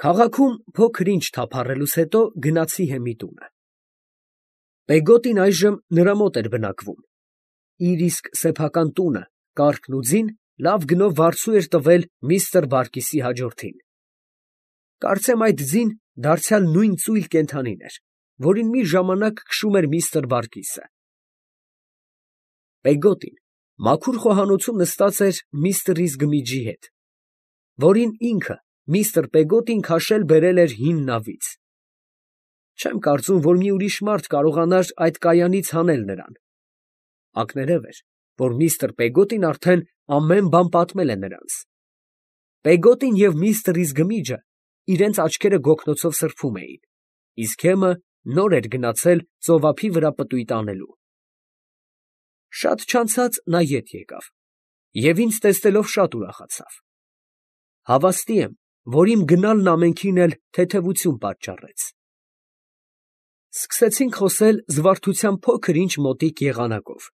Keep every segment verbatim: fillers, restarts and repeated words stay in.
Քաղաքում փոքր-ինչ թափառելուց հետո գնացի հեմի տունը։ Պեգոտին այժմ նրա մոտ էր բնակվում. իր իսկ սեփական տունը, կառքն ու ձին լավ գնով վարձու էր տվել միստր Բարքիսի հաջորդին։ Կարծեմ այդ ձին դարձյալ նույն ծույլ կենդանին էր, որին մի ժամանակ քշում էր միստր Բարքիսը։ Պեգոտին մաքուր խոհանոցում նստած էր միստր Իզգմիջի հետ, որին ինքը միստր Պեգոտին քաշել բերել էր հին նավից։ Չեմ կարծում, որ մի ուրիշ մարդ կարողանար այդ կայանից հանել նրան։ Ակներև էր, որ միստր Պեգոտին արդեն ամեն բան պատմել է նրանց։ Պեգոտին և միստր Իզգմիջը իրենց աչքերը գոգնոցով սրբում էին, իսկ հեմը նոր էր գնացել ծովափի վրա պտույտ անելու։ Շատ չանցած նա ետ եկավ և ինձ տեսնելով շատ ուրախացավ։ Հավաստի եմ, որ իմ գնալն ամենքին էլ թեթևություն պատճառեց։ Սկսեցինք խոսել զվարթության փոքր֊ինչ մոտիկ եղանակով,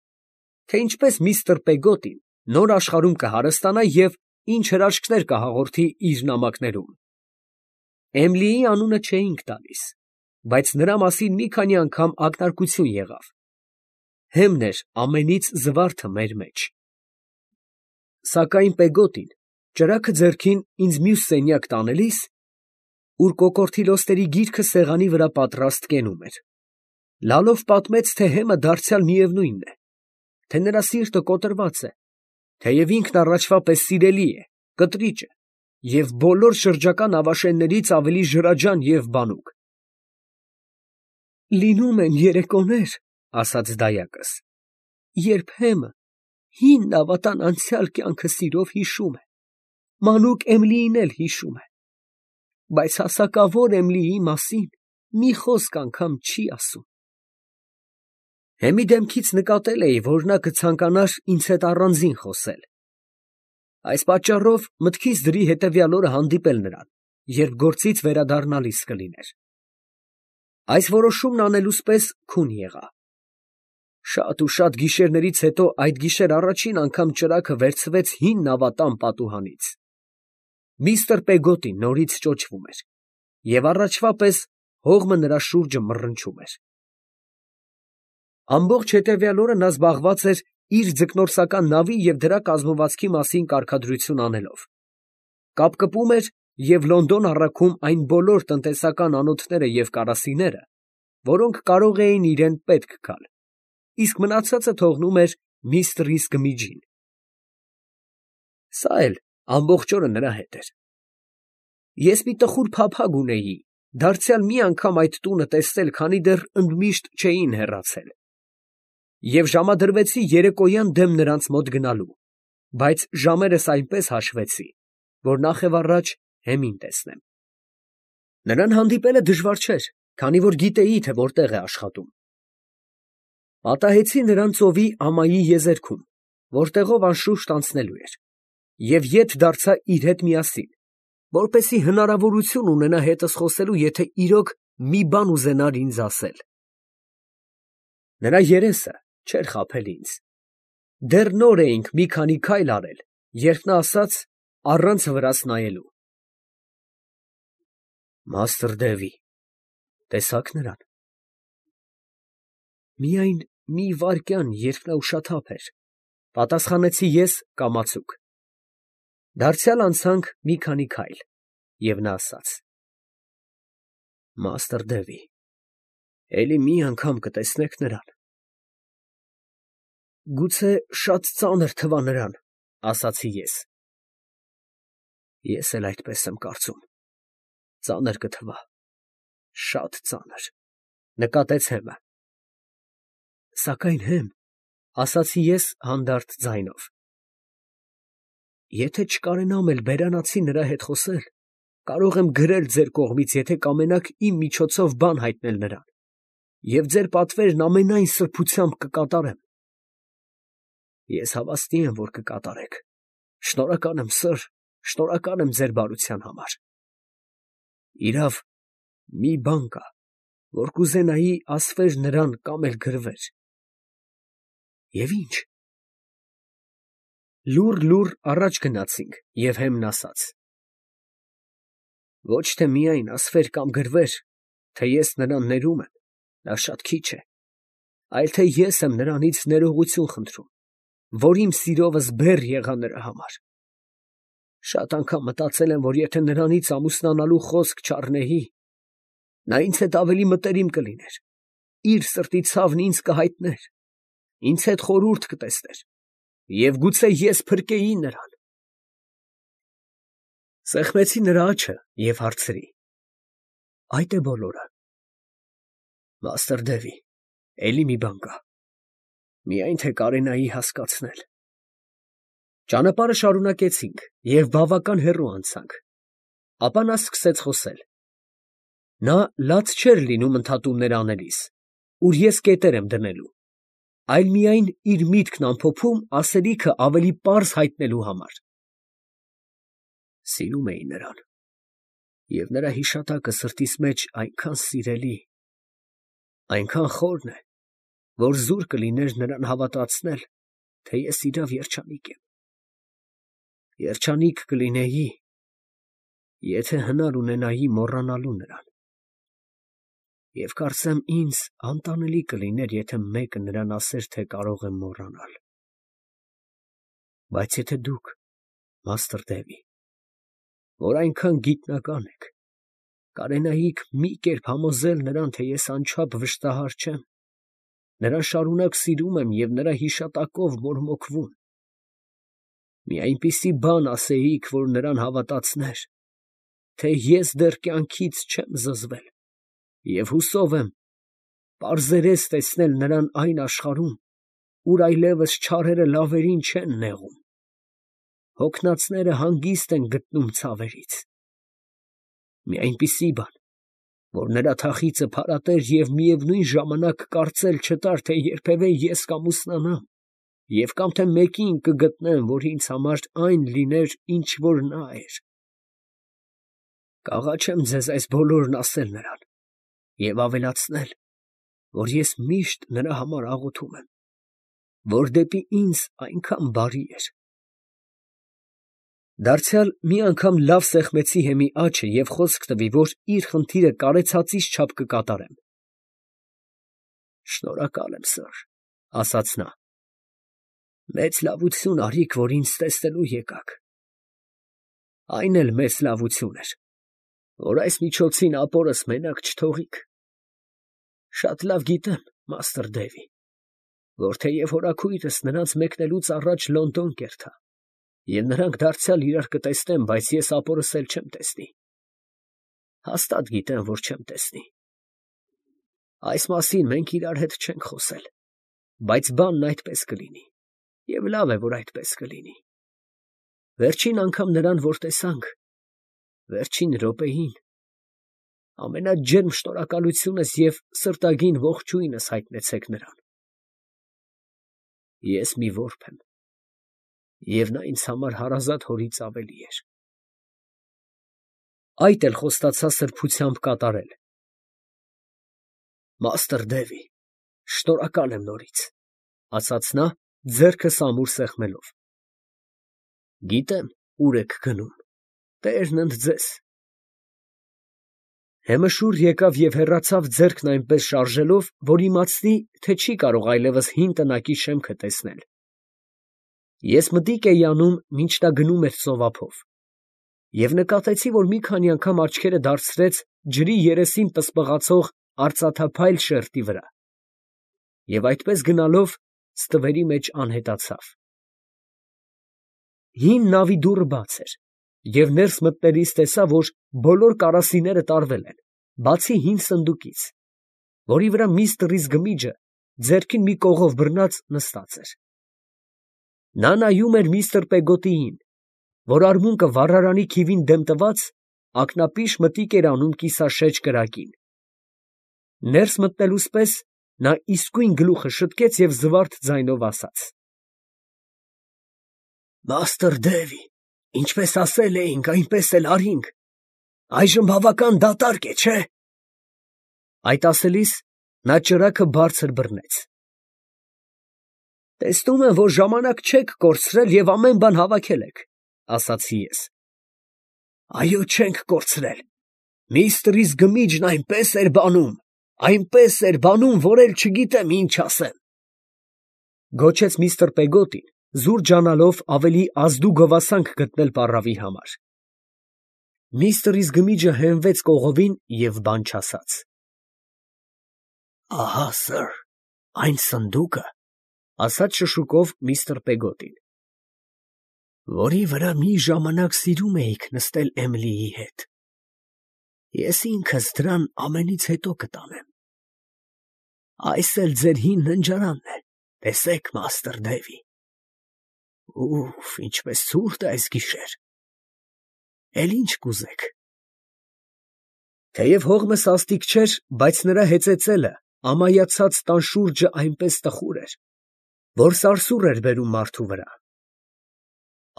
թե ինչպես միստր Պեգոտին նոր աշխարհում կհարստանա և ինչ հրաշքներ կհաղորդի իր նամակներում։ Էմիլիի անունը չէինք տալիս, բայց նրա մասին մի քանի անգամ ակնարկություն եղավ. հեմն էր ամենից զվարթը մեր մեջ։ Սակայն Պեգոտին, ճրագը ձեռքին ինձ մյուս սենյակ տանելիս, ուր կոկորդիլոստերի գիրքը սեղանի վրա պատրաստ կենում էր, լալով պատմեց, թե հեմը դարձյալ միևնույնն է, թե նրա սիրտը կոտրված է, թեև ինքն առաջվա պես սիրելի է, կտրիճ է և բոլոր շրջակա նավաշեններից ավելի ջրաջան և բանուկ։ «Լինում են երեկոներ, ֊ ասաց դայակս, ֊ երբ հեմը հին նավատան անցյալ կյանքը սիրով հիշում է, մանուկ Էմիլիին էլ հիշում է, բայց հասակավոր Էմիլիի մասին մի խոսք անգամ չի ասում»։ Հեմի դեմքից նկատել էի, որ նա կցանկանար ինձ հետ առանձին խոսել։ Այս պատճառով մտքիս դրի հետևյալ օրը հանդիպել նրան, երբ գործից վերադառնալիս կլիներ։ Այս որոշումն անելուս պես քուն եղա։ Շատ ու շատ գիշերներից հետո այդ գիշեր առաջին անգամ ճրագը վերցվեց հին նավատան պատուհանից։ Միստր Պեգոտին նորից ճոճվում էր, և առաջվա պես հողմը նրա շուրջը մռնչում էր։ Ամբողջ հետևյալ օրը նա զբաղված էր իր ձկնորսական նավի և դրա կազմվածքի մասին կարգադրություն անելով, կապկպում էր և Լոնդոն առաքում այն բոլոր տնտեսական անոթները և կարասիները, որոնք կարող էին իրան պետք գալ, իսկ մնացածը թողնում էր միստր Իզգմիջին։ Սա էլ ամբողջ օրը նրա հետ էր։ Ես մի տխուր փափագ ունեի դարձյալ մի անգամ այդ տունը տեսնել, քանի դեռ ընդմիշտ չէին հեռացել, և ժամադրվեցի երեկոյան դեմ նրանց մոտ գնալու, բայց ժամերս այնպես հաշվեցի, որ նախևառաջ հեմին տեսնեմ։ Նրան հանդիպելը դժվար չէր, քանի որ գիտեի, թե որտեղ է աշխատում։ Պատահեցի նրան ծովի ամայի եզերքում, որտեղով անշուշտ անցնելու էր, և ետ դարձա իր հետ միասին, որպեսզի հնարավորություն ունենա հետս խոսելու, եթե իրոք մի բան ուզենար ինձ ասել։ Նրա երեսը չէր խաբել ինձ։ Դեռ նոր էինք մի քանի քայլ արել, երբ նա ասաց, առանց վրաս նայելու. «Մաստր Դևի, տեսա՞ք նրան»։ Միայն մի վայրկյան, երբ նա ուշաթափ էր, ֊ պատասխանեցի ես կամացուկ։ Դարձյալ անցանք մի քանի քայլ, և նա ասաց. «Մաստր Դևի, էլի մի անգամ կտեսնեք նրան»։ Գուցե շատ ծանր թվա նրան, ֊ ասացի ես։ Ես էլ այդպես եմ կարծում, ծանր կթվա, շատ ծանր, ֊ նկատեց հեմը։ Սակայն հեմ, ֊ ասացի ես հանդարտ ձայնով, եթե չկարենամ էլ բերանացի նրա հետ խոսել, կարող եմ գրել ձեր կողմից, եթե կամենաք իմ միջոցով բան հայտնել նրան, և ձեր պատվերն ամենայն սրբությամբ կկատարեմ։ Ես հավաստի եմ, որ կկատարեք։ Շնորհակալ եմ, սըր, շնորհակալ եմ ձեր բարության համար։ Իրավ, մի բան կա, որ կուզենայի ասվեր նրան կամ էլ գրվեր։ Եվ ի՞նչ։ Լուռ֊լուռ առաջ գնացինք, և հեմն ասաց. Ոչ թե միայն ասվեր կամ գրվեր, թե ես նրան ներում եմ, դա շատ քիչ է, այլ թե ես եմ նրանից ներողություն խնդրում, որ իմ սիրովս բեռ եղա նրա համար։ Շատ անգամ մտածել եմ, որ եթե նրանից ամուսնանալու խոսք չառնեի, նա ինձ հետ ավելի մտերիմ կլիներ, իր սրտի ցավն ինձ կհայտներ, ինձ հետ խորհուրդ կտեսներ, և գուցե ես փրկեի նրան։ Սեղմեցի նրա աջը և հարցրի. այդ է բոլորը։ Մաստր Դևի, էլի մի բան կա, միայն թե կարենայի հասկացնել։ Ճանապարհը շարունակեցինք և բավական հեռու անցանք, ապա նա սկսեց խոսել։ Նա լաց չէր լինում ընդհատումներ անելիս, ուր ես կետեր եմ դնելու, այլ միայն իր միտքն ամփոփում ասելիքը ավելի պարզ հայտնելու համար։ Սիրում էի նրան, և նրա հիշատակը սրտիս մեջ այնքան սիրելի, այնքան խորն է, որ զուր կլիներ նրան հավատացնել, թե ես իրավ երջանիկ եմ։ Երջանիկ կլինեի, եթե հնար ունենայի մոռանալու նրան, և կարծեմ ինձ անտանելի կլիներ, եթե մեկը նրան ասեր, թե կարող եմ մոռանալ։ Բայց եթե դուք, մաստր Դևի, որ այնքան գիտնական եք, կարենայիք մի կերպ համոզել նրան, թե ես անչափ վշտահար չեմ, նրան շարունակ սիրում եմ և նրա հիշատակով մորմոքվում, մի այնպիսի բան ասեիք, որ նրան հավատացներ, թե ես դեռ կյանքից չեմ զզվել, և հուսով եմ պարզերես տեսնել նրան այն աշխարհում, ուր այլևս չարերը լավերին չեն նեղում, հոգնածները հանգիստ են գտնում ցավերից, մի այնպիսի բան, որ նրա թախիծը փարատեր և միևնույն ժամանակ կարծել չտար, թե երբևէ ես կամուսնանամ և կամ թե մեկին կգտնեմ, որ ինձ համար այն լիներ, ինչ որ նա էր։ Կաղաչեմ ձեզ այս բոլորն ասել նրան և ավելացնել, որ ես միշտ նրա համար աղոթում եմ, որ դեպի ինձ այնքան բարի էր։ Դարձյալ մի անգամ լավ սեղմեցի հեմի աջը և խոսք տվի, որ իր խնդիրը կարեցածիս չափ կկատարեմ։ Շնորհակալ եմ, սըր, ասաց նա, մեծ լավություն արիք, որ ինձ տեսնելու եկաք։ Այն էլ մեծ լավություն էր, որ այս միջոցին ապորս մենակ չթողիք։ Շատ լավ գիտեմ, մաստր Դևի, որ թեև հորաքույրս նրանց մեկնելուց առաջ Լոնդոն կերտա, և նրանք դարձյալ իրար կտեսնեն, բայց ես ապորս էլ չեմ տեսնի։ Հաստատ գիտեմ, որ չեմ տեսնի։ Այս մասին մենք իրար հետ չենք խոսել, բայց բանն այդպես կլինի, և լավ է, որ այդպես կլինի։ Վերջին անգամ նրան, որ տեսանք, վերջին րոպեին, ամենաջերմ շնորհակալությունս և սրտագին ողջույնս հայտնեցեք նրան։ Ես մի որբ եմ, և նա ինձ համար հարազատ հորից ավելի էր։ Այդ էլ խոստացա սրբությամբ կատարել։ Մաստր Դևի, շնորհակալ եմ նորից, ֊ ասաց նա, ձեռքս ամուր սեղմելով։ Գիտեմ, ուր եք գնում, տերն ընդ ձեզ։ Հեմը շուռ եկավ և հեռացավ ձեռքն այնպես շարժելով, որ իմացնի, թե չի կարող այլևս հին տնակի շեմքը տեսնել։ Ես մտիկ էի անում, մինչ նա գնում էր ծովափով, և նկատեցի, որ մի քանի անգամ աչքերը դարձրեց ջրի երեսին պսպղացող արծաթափայլ շերտի վրա, և այդպես գնալով ստվերի մեջ անհետացավ։ Հին նավի դուռը բաց էր, և ներս մտնելիս տեսա, որ բոլոր կարասիները տարվել են, բացի հին սնդուկից, որի վրա միստր Իզգմիջը ձեռքին մի կողով բռնած նստած էր։ Նա նայում էր միստր Պեգոտիին, որ արմունկը վառարանի քիվին դեմ տված, ակնապիշ մտիկ էր անում կիսաշեջ կրակին։ Ներս մտնելուս պես նա իսկույն գլուխը շտկեց և զվարթ ձայնով ասաց. Մաստր Դևի, ինչպես ասել էինք, այնպես էլ արինք, այժմ բավական դատարկ է, չէ՞։ Այդ ասելիս նա ճրագը բարձր բռնեց։ Տեսնում եմ, որ ժամանակ չեք կորցրել և ամեն բան հավաքել եք, ֊ ասացի ես։ Այո, չենք կորցրել, Միստր Իզգմիջն այնպես էր բանում, այնպես էր բանում, որ էլ չգիտեմ ինչ ասեմ, գոչեց միստր Պեգոտին, զուր ջանալով ավելի ազդու գովասանք գտնել պառավի համար։ Միստր Իզգմիջը հենվեց կողովին և բան չասաց։ Ահա, սըր, այն սնդուկը, ասաց շշուկով միստր Պեգոտին, որի վրա մի ժամանակ սիրում էիք նստել Էմիլիի հետ, ես ինքս դրան ամենից հետո կտանեմ։ Այս էլ ձեր հին ննջարանն է, տեսեք, մաստր Դեվի։ Ուֆ, ինչպես ցուրտ է այս գիշեր։ Էլ ինչ կուզեք։ Թեև հողմը սաստիկ չէր, բայց նրա հեծեծելը, ամայացած տան շուրջը այնպես տխուր էր, որ սարսուռ էր բերում մարդու վրա։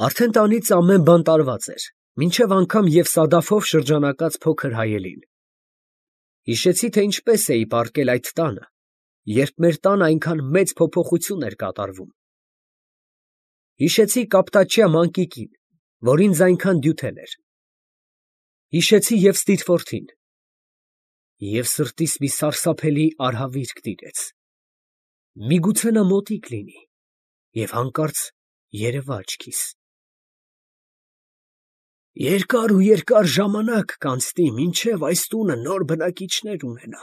Արդեն տանից ամեն բան տարված էր, մինչև անգամ և սադաֆով շրջանակած փոքր հայելին։ Հիշեցի, թե ինչպես էի պառկել այդ տանը, երբ մեր տանը այնքան մեծ փոփոխություն էր կատարվում։ Հիշեցի կապտաչյա մանկիկին, որ ինձ այնքան դյութել էր։ Հիշեցի և Ստիթֆորդին, և սրտիս մի սարսափելի արհավիրք տիրեց։ Միգուցե նա մոտիկ լինի, և հանկարծ երևա աչքիս։ Երկար ու երկար ժամանակ կանցնի, մինչև այս տունը նոր բնակիչներ ունենա,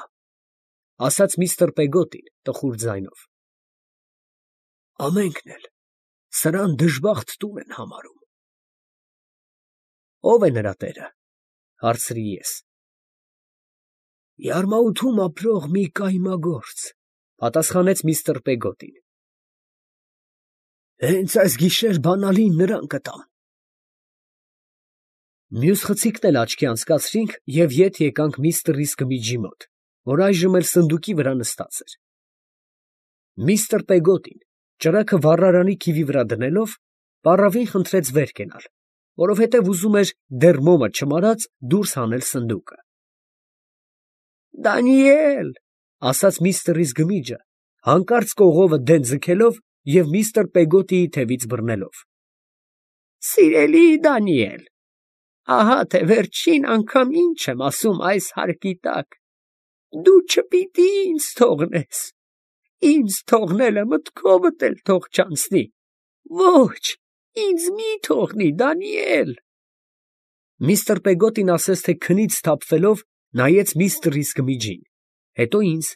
ասաց միստր Պեգոտին տխուր ձայնով։ Ամենքն էլ սրան դժբախտ տուն են համարում։ Ո՞վ է նրա տերը, հարցրի ես։ Յարմաութում ապրող մի կայմագործ, պատասխանեց միստր Պեգոտին։ Հենց այս գիշեր բանալին նրան կտամ։ Մյուս խցիկն էլ աչքի անցկացրինք և ետ եկանք միստր Իզգմիջի մոտ, որ այժմ էլ սնդուկի վրա նստած էր։ Միստր Պեգոտին, ճրագը վառարանի քիվի վրա դնելով, պառավին խնդրեց վեր կենալ, որովհետև ուզում էր դեռ մոմը չմարած դուրս հանել սնդուկը։ Դանիել, ասաց միստր Իզգմիջը, հանկարծ կողովը դեն ձգելով և միստր Պեգոտիի թևից բռնելով։ Սիրելի Դանիել, ահա թե վերջին անգամ ինչ եմ ասում այս հարկի տակ, դու չպիտի ինձ թողնես, ինձ թողնելը մտքովդ էլ թող չանցնի, ոչ, ինձ մի թողնի, Դանիել։ Միստր Պեգոտին ասես թե քնից սթափվելով նայեց միստր Իզգմիջին, հետո ինձ,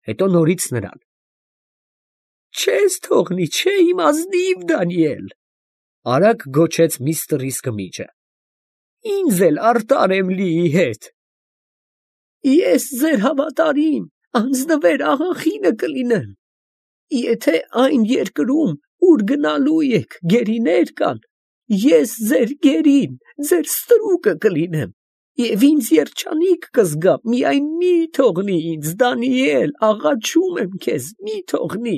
հետո նորից նրան։ Չես թողնի, չէ, իմ ազնիվ Դանիել, արագ գոչեց միստր Իզգմիջը։ Ինձ էլ արտար Էմիլիի հետ։ Ես ձեր հավատարիմ, անձնվեր աղախինը կլինեմ։ Եթե այն երկրում, ուր գնալու եք, գերիներ կան, ես ձեր գերին, ձեր ստրուկը կլինեմ, և ինձ երջանիկ կզգամ, միայն մի թողնի ինձ, Դանիել, աղաչում եմ քեզ, մի թողնի։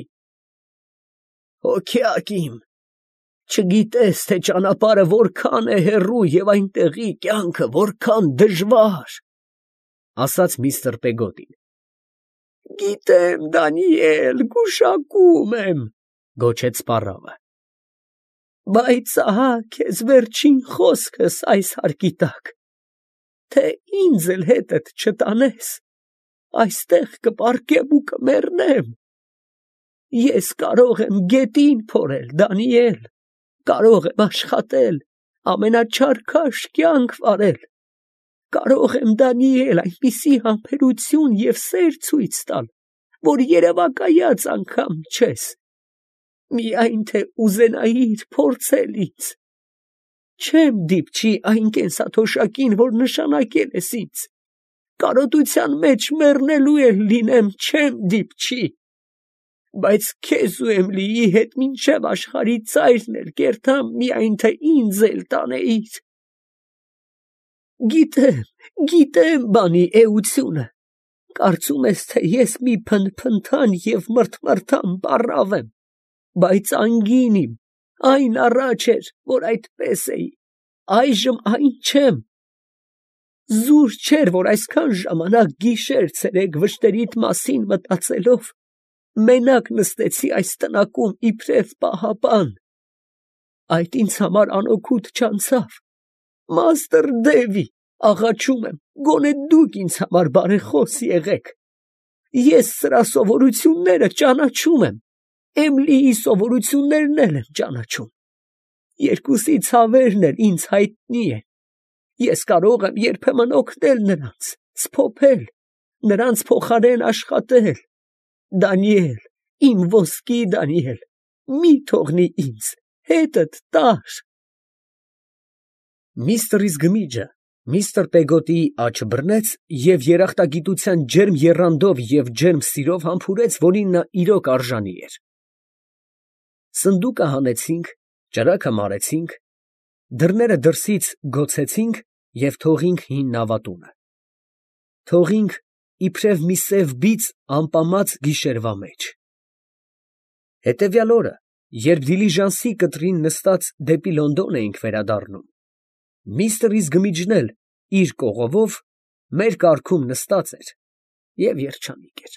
Հոգյակ իմ, չգիտես, թե ճանապարհը որքան է հեռու և այնտեղի կյանքը որքան դժվար, ասաց միստր Պեգոտին։ Գիտեմ, Դանիել, գուշակում եմ, գոչեց պառավը։ Բայց ահա քեզ վերջին խոսքս այս հարկի տակ, թե ինձ էլ հետդ չտանես, այստեղ կպառկեմ ու կմեռնեմ։ Ես կարող եմ գետին փորել, Դանիել, կարող եմ աշխատել, ամենաչարքաշ կյանք վարել, կարող եմ, Դանիել, այնպիսի համբերություն և սեր ցույց տալ, որ երևակայած անգամ չես, միայն թե ուզենայիր փորձել ինձ, չեմ դիպչի այն կենսաթոշակին, որ նշանակել ես ինձ, կարոտության մեջ մեռնելու էլ լինեմ, չեմ դիպչի, բայց քեզ ու Էմիլիի հետ մինչև աշխարհի ծայրն էլ կերտամ, միայն թե ինձ էլ տանեիր։ Գիտեմ, գիտեմ բանի էությունը, կարծում ես, թե ես մի փնփնթան և մռթմռթան պառավ եմ, բայց անգին իմ, այն առաջ էր, որ այդպես էի, այժմ այն չեմ։ Զուր չէր, որ այսքան ժամանակ գիշեր֊ցերեկ վշտերիդ մասին մտածելով, մենակ նստեցի այս տնակում իբրև պահապան։ Այդ ինձ համար անօգուտ չանցավ։ Մաստր Դևի, աղաչում եմ, գոնե դուք ինձ համար բարեխոս եղեք։ Ես սրա սովորությունները ճանաչում եմ, Էմիլիի սովորություններն էլ եմ ճանաչում։ Երկուսի ցավերն էլ ինձ հայտնի են։ Ես կարող եմ երբեմն օգնել նրանց, սփոփել, նրանց փոխարեն աշխատել։ Դանիել, իմ ոսկի Դանիել, մի թողնի ինձ, հետդ տար։ Միստր Իզգմիջը միստր Պեգոտիի աջ բռնեց և երախտագիտության ջերմ եռանդով և ջերմ սիրով համբուրեց, որին նա իրոք արժանի էր։ Սնդուկը հանեցինք, ճրագը մարեցինք, դռները դրսից գոցեցինք և թողինք հին նավատունը. թողինք իբրև մի սև բիծ ամպամած գիշերվա մեջ։ Հետևյալ օրը, երբ դիլիժանսի կտրին նստած դեպի Լոնդոն էինք վերադառնում, միստր Իզգմիջն էլ իր կողովով մեր կառքում նստած էր և երջանիկ էր։